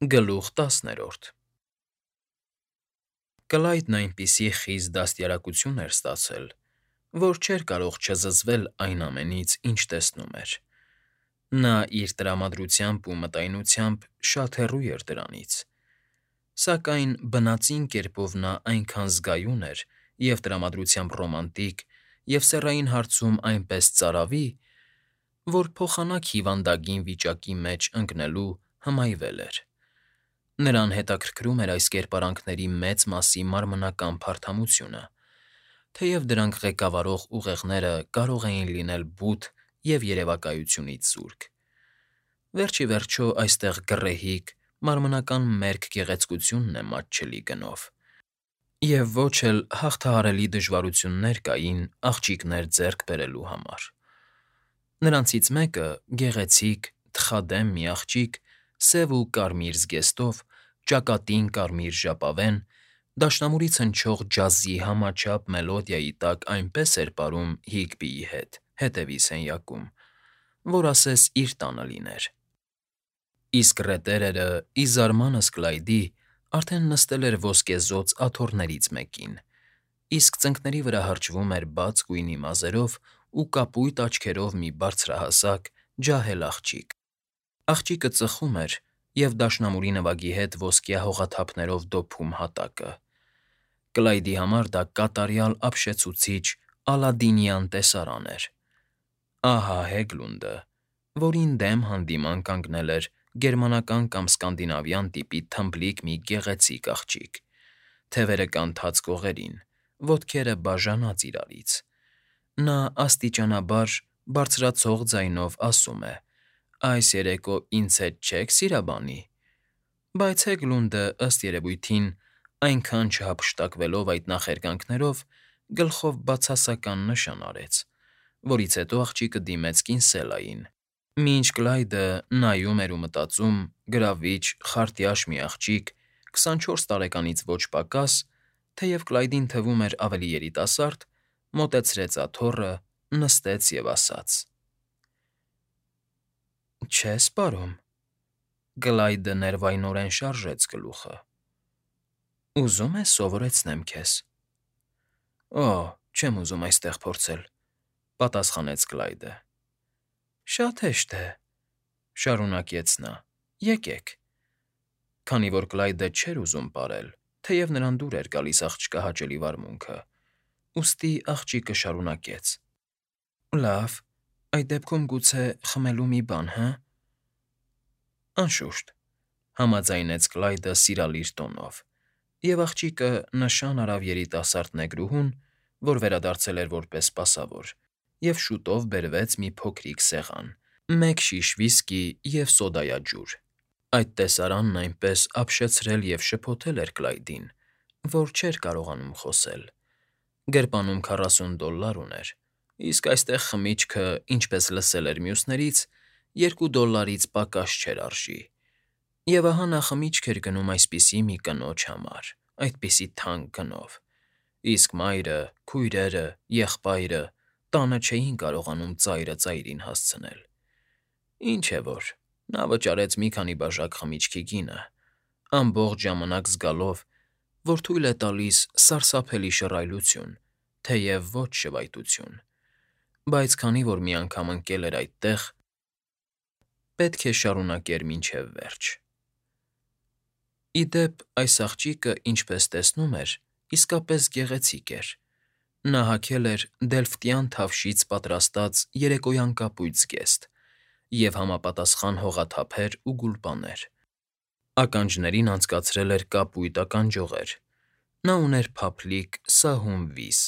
Գլուխ 10 Կլայդն այնպիսի խիստ դաստիարակություն էր ստացել, որ չէր կարող չզզվել այն ամենից, ինչ տեսնում էր. նա իր տրամադրությամբ ու մտայնությամբ շատ հեռու էր դրանից, սակայն բնածին կերպով նա այնքան զգայուն էր և տրամադրությամբ ռոմանտիկ և սեռային հարցում այնպես ծարավի, որ փոխանակ հիվանդագին վիճակի մեջ ընկնելու հմայվել էր. նրան հետաքրքրում էր այս կերպարանքների մեծ մասի մարմնական փարթամությունը, թեև դրանք ղեկավարող ուղեղները կարող էին լինել բութ և երևակայությունից զուրկ. վերջ ի վերջո այստեղ գռեհիկ, մարմնական մերկ գեղեցկությունն է մատչելի գնով, և ոչ էլ հաղթահարելի դժվարություններ կային աղջիկներ ձեռք բերելու համար. Նրանցից մեկը՝ գեղեցիկ, թխադեմ մի աղջիկ, սև ու կարմիր զգեստով, ճակատին կարմիր ժապավեն, դաշնամուրից հնչող ջազի համաչափ մելոդիայի տակ այնպես էր պարում Հիգբիի հետ, հետևի սենյակում, որ ասես իր տանը լիներ. իսկ ռետերերը, ի զարմանս Կլայդի, արդեն նստել էր ոսկեզօծ աթոռներից մեկին, իսկ ծնկների վրա հրճվում էր բաց գույնի մազերով ու կապույտ աչքերով մի բարձրահասակ, ջահել աղջիկ. աղջիկը ծխում էր և դաշնամուրի նվագի հետ ոսկյա հողաթափներով դոփում հատակը. Կլայդի համար դա կատարյալ ապշեցուցիչ ալադինյան տեսարան էր. ահա Հեգլունդը, որին դեմ հանդիման կանգնել էր գերմանական կամ սկանդինավյան տիպի թմբլիկ մի գեղեցիկ աղջիկ, թևերը կանթած կողերին, ոտքերը բաժանած իրարից. նա աստիճանաբար, բարձրացող ձայնով ասում է. «Այս երեկո ինձ հետ չե՞ք սիրաբանի»։ Բայց Հեգլունդը, ըստ երևույթին, այնքան չհափշտակվելով այդ նախերգանքներով, գլխով բացասական նշան արեց, որից հետո աղջիկը դիմեց կինսելային, մինչ Կլայդը նայում էր ու մտածում, գրավիչ, խարտյաշ մի աղջիկ, 24 տարեկանից ոչ պակաս, թեև Կլայդին թվում էր ավելի երիտասարդ, մոտեցրեց աթոռը, նստեց և ասաց. «Չե՞ս պարում»։ Կլայդը ներվայնորեն շարժեց գլուխը. «Ուզում ես սովորեցնեմ քեզ»։ «Օ, չեմ ուզում այստեղ փորձել», պատասխանեց Կլայդը։ «Շատ հեշտ է», շարունակեց նա, «եկեք»։ Քանի որ Կլայդը չէր ուզում պարել, թեև նրան դուր էր գալիս աղջկա հաճելի վարմունքը, ուստի աղջիկը շարունակեց. «Լավ, այդ դեպքում գուցե խմելու մի բան, հը»։ «Անշուշտ», համաձայնեց Կլայդը սիրալիր տոնով, և աղջիկը նշան արավ երիտասարդ նեգրուհուն, որ վերադարձել էր որպես սպասավոր, և շուտով բերվեց մի փոքրիկ սեղան, մեկ շիշ վիսկի և սոդայաջուր. այդ տեսարանն այնպես ապշեցրել և շփոթել էր Կլայդին, որ չէր կարողանում խոսել. գրպանում $40 ուներ, իսկ այստեղ խմիչքը, ինչպես լսել էր մյուսներից, $2 պակաս չէր արժի, և ահա նա խմիչք էր գնում այսպիսի մի կնոջ համար, այդպիսի թանկ գնով, իսկ մայրը, քույրերը, եղբայրը տանը չէին կարողանում ծայրը ծայրին հասցնել. ինչ է որ, նա վճարեց մի քանի բաժակ խմիչքի գինը, ամբողջ ժամանակ զգալով, որ թույլ է տալիս սարսափելի շռայլություն, թեև ոչ շվայտություն, բայց քանի որ մի անգամ ընկել էր այդտեղ, պետք է շարունակեր մինչև վերջ։ Ի դեպ, այս աղջիկը, ինչպես տեսնում էր, իսկապես գեղեցիկ էր. նա հագել էր դելֆտյան թավշից պատրաստած երեկոյան կապույտ զգեստ և համապատասխան հողաթափեր ու գուլպաներ, ականջներին անցկացրել էր կապույտ ականջողեր, նա ուներ փափլիկ սահուն վիզ,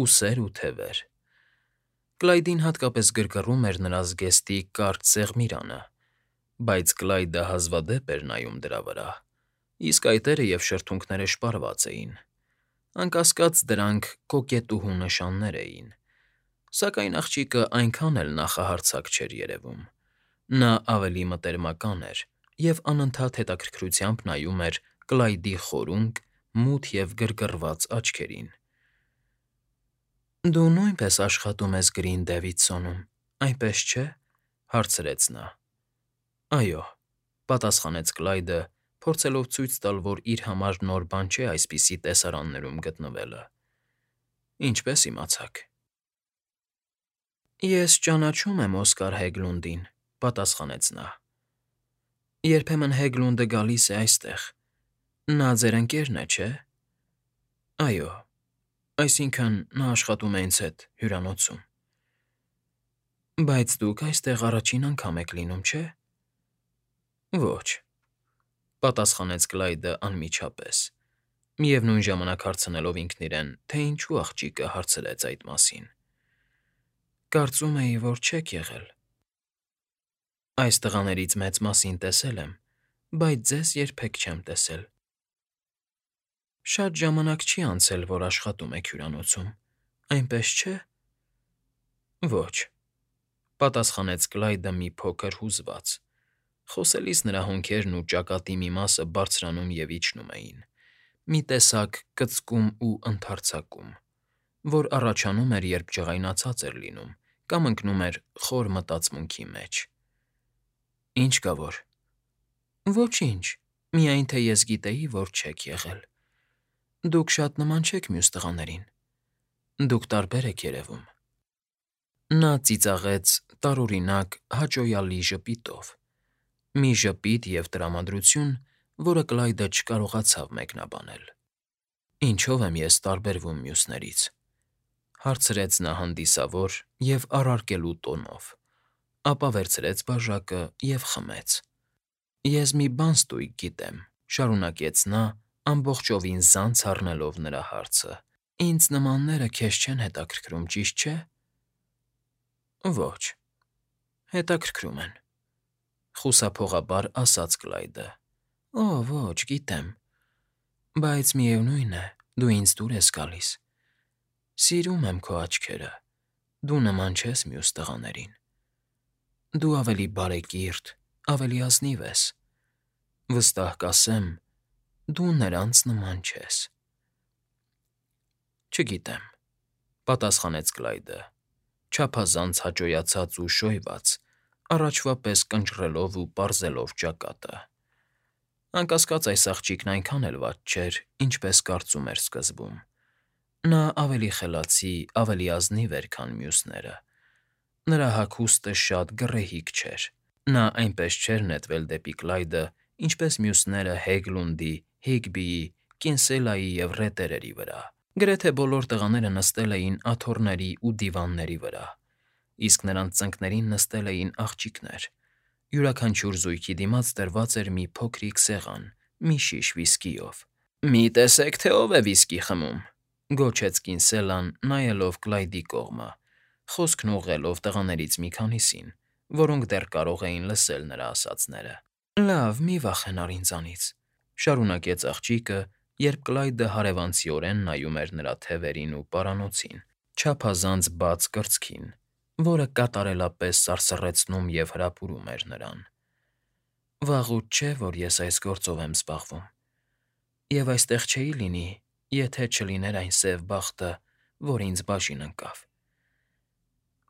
ուսեր ու թևեր. Կլայդին հատկապես գրգռում էր նրա զգեստի կարճ սեղմիրանը, բայց Կլայդը հազվադեպ էր նայում դրա վրա, իսկ այտերը և շրթունքները շպարված էին. անկասկած, դրանք կոկետուհու նշաններ էին, սակայն աղջիկը այնքան էլ նախահարձակ չէր երևում. նա ավելի մտերմական էր և անընդհատ հետաքրքրությամբ նայում էր Կլայդի խորունկ, մութ և գրգռված աչքերին։ «Դու նույնպես աշխատում ես Գրին Դեվիդսոնում, այնպես չէ՞», հարցրեց նա։ «Այո», պատասխանեց Կլայդը, փորձելով ցույց տալ, որ իր համար նոր բան չէ այսպիսի տեսարաններում գտնվելը։ Ինչպես իմացաք։ Ես ճանաչում եմ Օսկար Հեգլունդին, պատասխանեց նա։ Երբեմն Հեգլունդը գալիս է այստեղ։ Նա ձեր ընկերն է, չէ՞։ Այո, այսինքն նա աշխատում է ինձ հետ հյուրանոցում։ Բայց դուք այստեղ առաջին անգամ եք լինում, չէ՞։ Ոչ, պատասխանեց Կլայդը անմիջապես, միևնույն ժամանակ հարցնելով ինքն իրեն, թե ինչու աղջիկը հարցրեց այդ մասին։ Կարծում էի, որ չեք եղել։ Այս տղաներից մեծ մասին տեսել եմ, բայց ձեզ երբեք չեմ տեսել։ Շատ ժամանակ չի անցել, որ աշխատում եք հյուրանոցում, այնպես չէ։ Ոչ, պատասխանեց Կլայդը մի փոքր հուզված։ Խոսելիս նրա հոնքերն ու ճակատի մի մասը բարձրանում և իջնում էին, մի տեսակ կծկում ու ընդարձակում, որ առաջանում էր, երբ ջղայնացած էր լինում կամ ընկնում էր խոր մտածմունքի մեջ։ Ինչ կա որ։ Ոչինչ, միայն թե ես գիտեի, որ չեք եղել։ Դուք շատ նման չեք մյուս տղաներին։ Դուք տարբեր եք երևում։ Նա ծիծաղեց տարօրինակ հաճոյալի ժպիտով, մի ժպիտ և տրամադրություն, որը Կլայդը չկարողացավ մեկնաբանել։ Ինչո՞վ եմ ես տարբերվում մյուսներից, հարցրեց նա հանդիսավոր և առարկելու տոնով, ապա վերցրեց բաժակը և խմեց։ Ես մի բան ստույգ գիտեմ, շարունակեց նա, ամբողջովին զանց առնելով նրա հարցը։ Ինձ նմանները քեզ չեն հետաքրքրում, ճիշտ չէ։ Ոչ, հետաքրքրում են, խուսափողաբար ասաց Կլայդը։ Օ, ոչ, գիտեմ, բայց միևնույն է, դու ինձ դուր ես գալիս։ Սիրում եմ քո աչքերը, դու նման չես մյուս տղաներին։ Դու ավելի բարեկիրթ, ավելի ազնիվ ես։ Վստահ կասեմ, դու նրանց նման չես։ Չգիտեմ, պատասխանեց Կլայդը, չափազանց հաճոյացած ու շոյված, առաջվա պես կնճռելով ու պարզելով ճակատը։ Անկասկած այս աղջիկն այնքան էլ վատ չէր, ինչպես կարծում էր սկզբում։ Նա ավելի խելացի, ավելի ազնիվ էր, քան մյուսները։ Նրա հագուստը շատ գռեհիկ չէր։ Նա այնպես չէր նետվել դեպի Կլայդը, ինչպես մյուսները Հեգլունդի, Հիգբիի, Կինսելայի և Ռետերերի վրա։ Գրեթե բոլոր տղաները նստել էին աթոռների ու դիվանների վրա, իսկ նրանց ծնկներին նստել էին աղջիկներ։ Յուրաքանչյուր զույգի դիմաց դրված էր մի փոքրիկ սեղան, մի շիշ վիսկիով։ Մի տեսեք, թե ով է վիսկի խմում, գոչեց Կինսելան, նայելով Կլայդի կողմը, խոսքն ուղղելով տղաներից մի քանիսին, որոնք դեռ կարող էին լսել նրա ասածները։ Լավ, մի վախենար ինձանից, շարունակեց աղջիկը, երբ Կլայդը հարևանցիորեն նայում էր նրա թևերին ու պարանոցին, չափազանց բաց կրծքին, որը կատարելապես սարսռեցնում և հրապուրում էր նրան։ Վաղուց չէ, որ ես այս գործով եմ զբաղվում, և այստեղ չէի լինի, եթե չլիներ այն սև բախտը, որ ինձ բաժին ընկավ։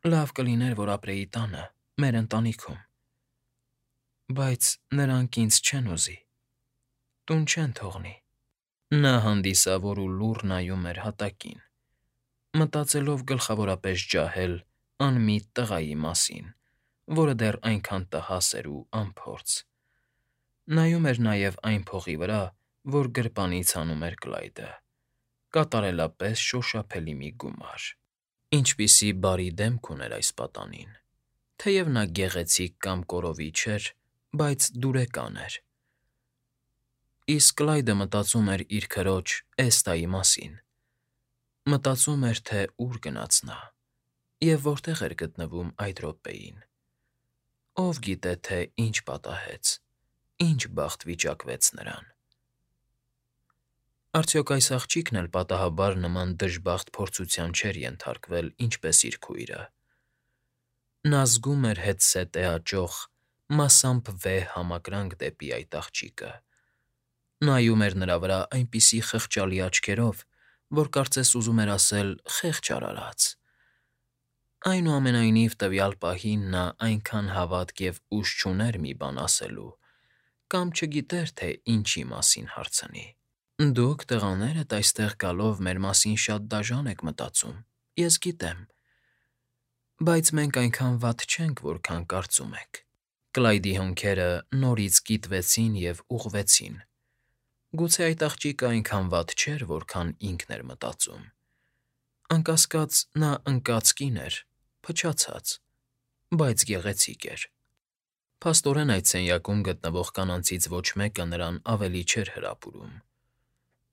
Լավ կլիներ, որ ապրեի տանը, մեր ընտանիքում։ Բայց նրանք ինձ չեն ուզի, տուն չեն թողնի։ Նա հանդիսավոր ու լուռ նայում էր հատակին, մտածելով գլխավորապես ջահել անմիտ տղայի մասին, որը դեռ այնքան տհաս էր ու անփորձ։ Նայում էր նաև այն փողի վրա, որ գրպանից հանում էր Կլայդը, կատարելապես շոշափելի մի գումար։ Ինչպիսի բարի դեմք ուներ այս պատանին։ Թեև նա գեղեցիկ կամ կորովի չէր, բայց դուրեկան էր։ Իսկ Կլայդը մտածում էր իր քրոջ Էստայի մասին։ Մտածում էր, թե ուր գնաց նա և որտեղ էր գտնվում այդ րոպեին։ Ով գիտե, թե ինչ պատահեց, ինչ բախտ վիճակվեց նրան։ Արդյոք այս աղջիկն էլ պատահաբար նման դժբախտ փորձության չէր ենթարկվել, ինչպես իր քույրը։ Նա զգում էր հետզհետե աճող, մասամբ վեհ համակրանք դեպի այդ աղջիկը։ Նայում էր նրա վրա այնպիսի խղճալի աչքերով, որ կարծես ուզում էր ասել. «Խեղճ արարած»։ Այնուամենայնիվ տվյալ պահին նա այնքան հավատք և ուժ չուներ մի բան ասելու, կամ չգիտեր, թե ինչի մասին հարցնի։ Դուք, տղաներդ, այստեղ գալով մեր մասին շատ դաժան եք մտածում, ես գիտեմ, բայց մենք այնքան վատ չենք, որքան կարծում եք։ Կլայդի հոնքերը նորից կիտվեցին և ուղղվեցին։ Գուցե այդ աղջիկը այնքան վատ չէր, որքան ինքն էր մտածում։ Անկասկած նա ընկած կին էր, փչացած, բայց գեղեցիկ էր։ Փաստորեն այդ սենյակում գտնվող կանանցից ոչ մեկը նրան ավելի չէր հրապուրում։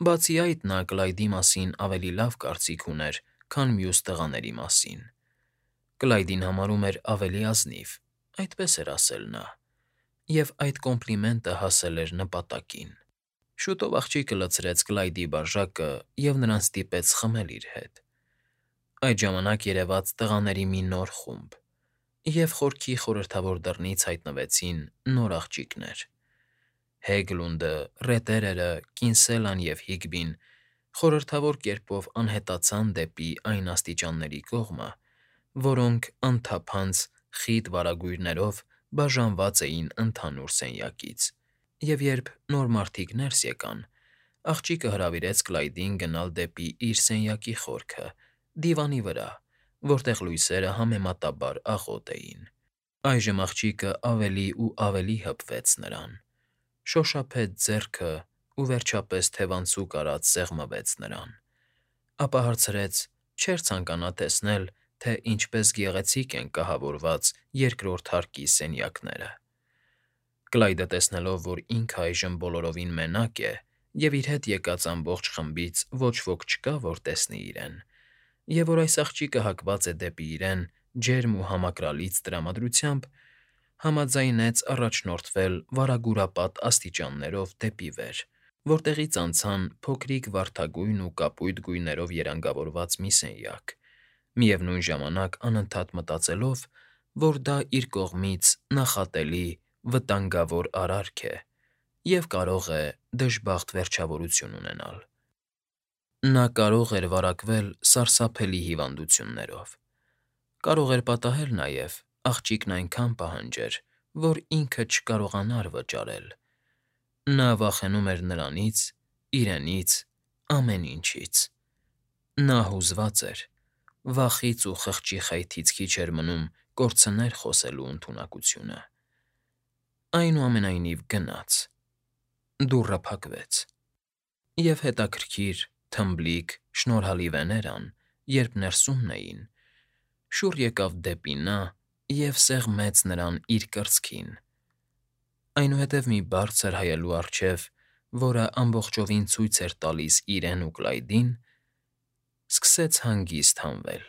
Բացի այդ, նա Կլայդի մասին ավելի լավ կարծիք ուներ, քան մյուս տղաների մասին։ Կլայդին համարում էր ավելի ազնիվ, այդպես էր ասել նա, և այդ կոմպլիմենտը հասել էր նպատակին։ Շուտով աղջիկը լցրեց Կլայդի բաժակը և նրան ստիպեց խմել իր հետ։ Այդ ժամանակ երևաց տղաների մի նոր խումբ, և խորքի խորհրդավոր դռնից հայտնվեցին նոր աղջիկներ։ Հեգլունդը, Ռետերերը, Կինսելան և Հիգբին խորհրդավոր կերպով անհետացան դեպի այն աստիճանների կողմը, որոնք անթափանց խիտ վարագույրներով բաժանված էին ընդհանուր սենյակից, և երբ նոր մարդիկ ներս եկան, աղջիկը հրավիրեց Կլայդին գնալ դեպի իր սենյակի խորքը, դիվանի վրա, որտեղ լույսերը համեմատաբար աղոտ էին։ Այժմ աղջիկը ավելի ու ավելի հպվեց նրան, շոշափեց ձեռքը ու վերջապես թևանցուկ արած սեղմվեց նրան, ապա հարցրեց. չէր ցանկանա տեսնել, թե ինչպես գեղեցիկ են կահավորված երկրորդ հարկի սենյակները։ Կլայդը տեսնելով, որ ինքը այժմ բոլորովին մենակ է, և իր հետ եկած ամբողջ խմբից ոչ ոք չկա, որ տեսնի իրեն, և որ այս աղջիկը հակված է դեպի իրեն ջերմ ու համակրալից տրամադրությամբ, համաձայնեց առաջնորդվել վարագուրապատ աստիճաններով դեպի վեր, որտեղից անցան փոքրիկ վարդագույն ու կապույտ գույներով երանգավորված մի սենյակ, միևնույն ժամանակ անընդհատ մտածելով, որ դա իր կողմից նախատելի, վտանգավոր արարք է և կարող է դժբախտ վերջավորություն ունենալ։ Նա կարող էր վարակվել սարսափելի հիվանդություններով, կարող էր պատահել նաև աղջիկն այնքան պահանջեր, որ ինքը չկարողանար վճարել։ Նա վախենում էր նրանից, իրենից, ամեն ինչից։ Նա հուզված էր, վախից ու խղճի խայթից քիչ էր մնում կորցներ խոսելու ընդունակությունը։ Այնուամենայնիվ գնաց։ Դուռը փակվեց, և հետաքրքիր, թմբլիկ, շնորհալի վեներան, երբ ներսումն էին, շուռ եկավ դեպի նա և սեղմեց նրան իր կրծքին, այնուհետև մի բարձր հայելու առջև, որը ամբողջովին ցույց էր տալիս իրեն ու Կլայդին, սկսեց հանգիստ հանվել։